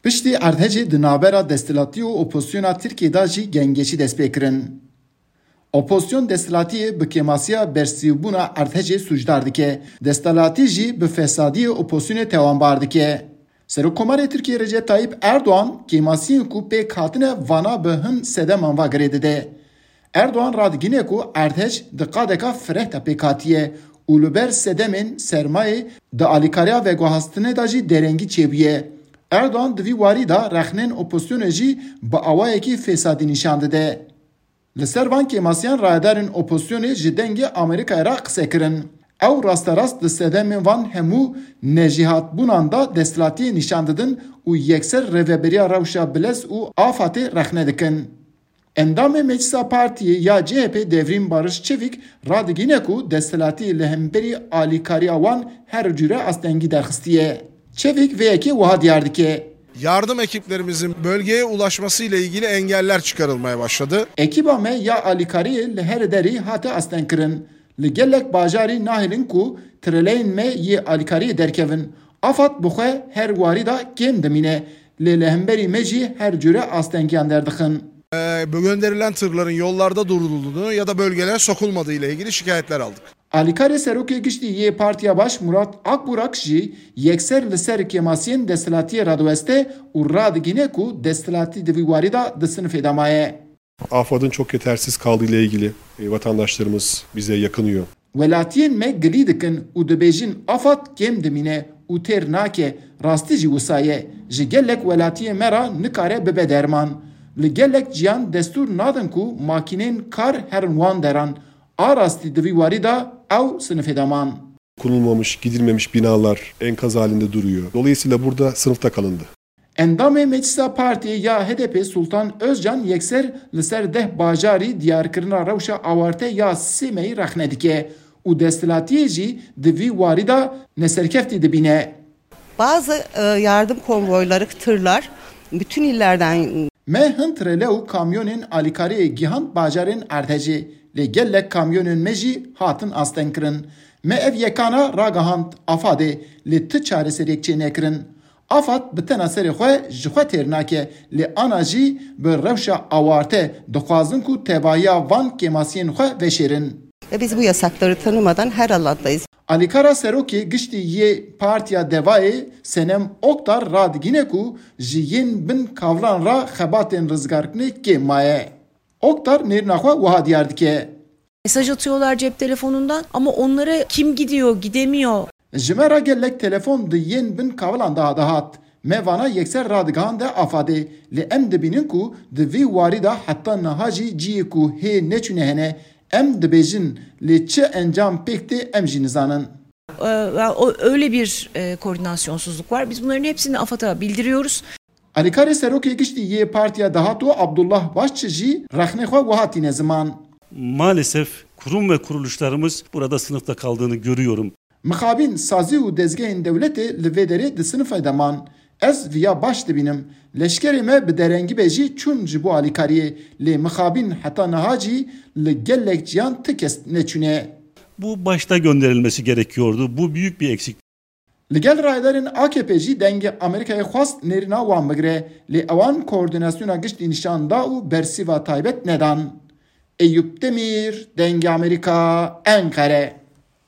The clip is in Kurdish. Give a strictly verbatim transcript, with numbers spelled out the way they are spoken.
Piştî erdhejê di navbera desthilatî û opozisyona Tirkiyê de jî gengeşî dest pê kirin. Opozisyon desthilatiyê bi kêmasiya bersivbûna erdhejê sûcdar dike. Desthilatî jî bi fesadiyê opozisyonê tewanbar dike. Serokkomarê Tirkiyê Recep Tayyip Erdoğan kêmasiyên ku pêk hatine vana bi hin sedeman ve girê dide. Erdoğan radigihîne ku erdhej di qadeka fireh de pêk hatiye û li ber sedemên sermayê di alîkariya veguhastinê de jî derengî çêbûye. Erdoğan di vî warî de rexnên opozisyonê jî bi awayekî fesadî nîşan dide. Li ser van kêmasiyan rayedarên opozisyonê ji Dengê Amerîkayê re qise kirin. Ew rasterast di sedemên van hemû nejîhatbûnan de desthilatiyê nîşan didin û yekser rêveberiya rewşa bilez û AFADê rexne dikin. Endamê Meclisa Partiyê ya C H P Devrîm Barış Çevik radigihîne ku desthilatî li hemberî alîkariya wan her cure astengî derxistiye. Çevik vê yekê wiha diyar dike. Yardım ekiplerimizin bölgeye ulaşması ile ilgili engeller çıkarılmaya başladı. Ekîba me ya alîkariyê li her derî hate astengkirin. Li gelek bajarî nahêlin ku treleyên me yê alîkariyê derkevin. AFAD bi xwe her warî de kêm dimîne, lê li hemberî me jî her cure astengiyan derdixin. Ee, bu gönderilen tırların yollarda durulduğunu ya da bölgelere sokulmadığı ile ilgili şikayetler aldık. Alîkarê Serokê Giştî yê Partiya Baş Murat Akburak jî yekser li ser kêmasiyên desthilatiyê radiweste û radigihîne ku desthilatî di vî warî de di sinifê de maye. AFAD'ın çok yetersiz kaldığı ile ilgili e, vatandaşlarımız bize yakınıyor. Welatiyên me gilî dikin û dibêjin AFAD kêm dimîne û têr nake, rastî jî wisa ye. Ji gelek welatiyên me re nikare bibe derman. Li gelek ciyan destûr nadin ku makîneyên kar herin wan deran. A rastî di vî warî de ew sinifê de man. Konulmamış, gidilmemiş binalar enkaz halinde duruyor. Dolayısıyla burada sınıfta kalındı. Endamê Meclisa Partiyê ya H D P Sultan Özcan yekser li ser deh bajarî diyarkirina rewşa awarte ya sê meyî rexne dike û desthilatiyê jî di vî warî de neserkeftî dibîne. Bazı e, yardım konvoyları, tırlar bütün illerden. Me hin trele û kamyonên alîkariyê gihand bajarên erdhejê, lê gelek kamyonên me jî hatin astengkirin. Me ev yekana ragihand AFADê, lê ti çareseriyek çênekirin. AFAD bi tena serê xwe ji xwe têr nake, lê ana jî bi rewşa awarte dixwazin ku tevahiya van kêmasiyên xwe veşêrin. Ve biz bu yasakları tanımadan her alandayız. Alîkara Serokê Giştî yê Partiya Devayê Senem Oktar radigîne ku ji yên bin kavlan re xebatên rizgarkirinê kêm maye. Oktar nêrîna xwe wiha diyar dike. Mesaj atıyorlar cep telefonundan ama onlara kim gidiyor, gidemiyor. Ji me re gelek telefon di yên bin kavilan de dihat. Me vana yekser radigihande AFADê. Lê em dibînin ku di vî warî de heta niha jî cihê ku hê neçûne hene. Em dibêjin, lê çi encam pêk tê em jî nizanin. Ee, yani o, öyle bir e, koordinasyonsuzluk var. Biz bunların hepsini AFAD'a bildiriyoruz. Alîkarê Serokê Giştî yê Partiya Dahatû Abdullah Başçi jî rexnê xwe wiha tîne ziman. Maalesef kurum ve kuruluşlarımız burada sınıfta kaldığını görüyorum. Mixabîn, sazî û dezgehên dewletê li vê derê di sinifê de man. Ez viya baş dibînim. Leşkerê me bi derengî be jî çûn ji bo alîkariyê, lê mixabîn heta niha jî li gelek ciyan ti kes neçûne. Bu başta gönderilmesi gerekiyordu. Bu büyük bir eksik. Li gel rayedarên A K P jî Dengê Amerîkayê xwest nêrîna wan bigire, lê ewan koordînasyona giştî nîşan da û bersîva taybet nedan. Eyûp Demîr, Dengê Amerîka, Enqere.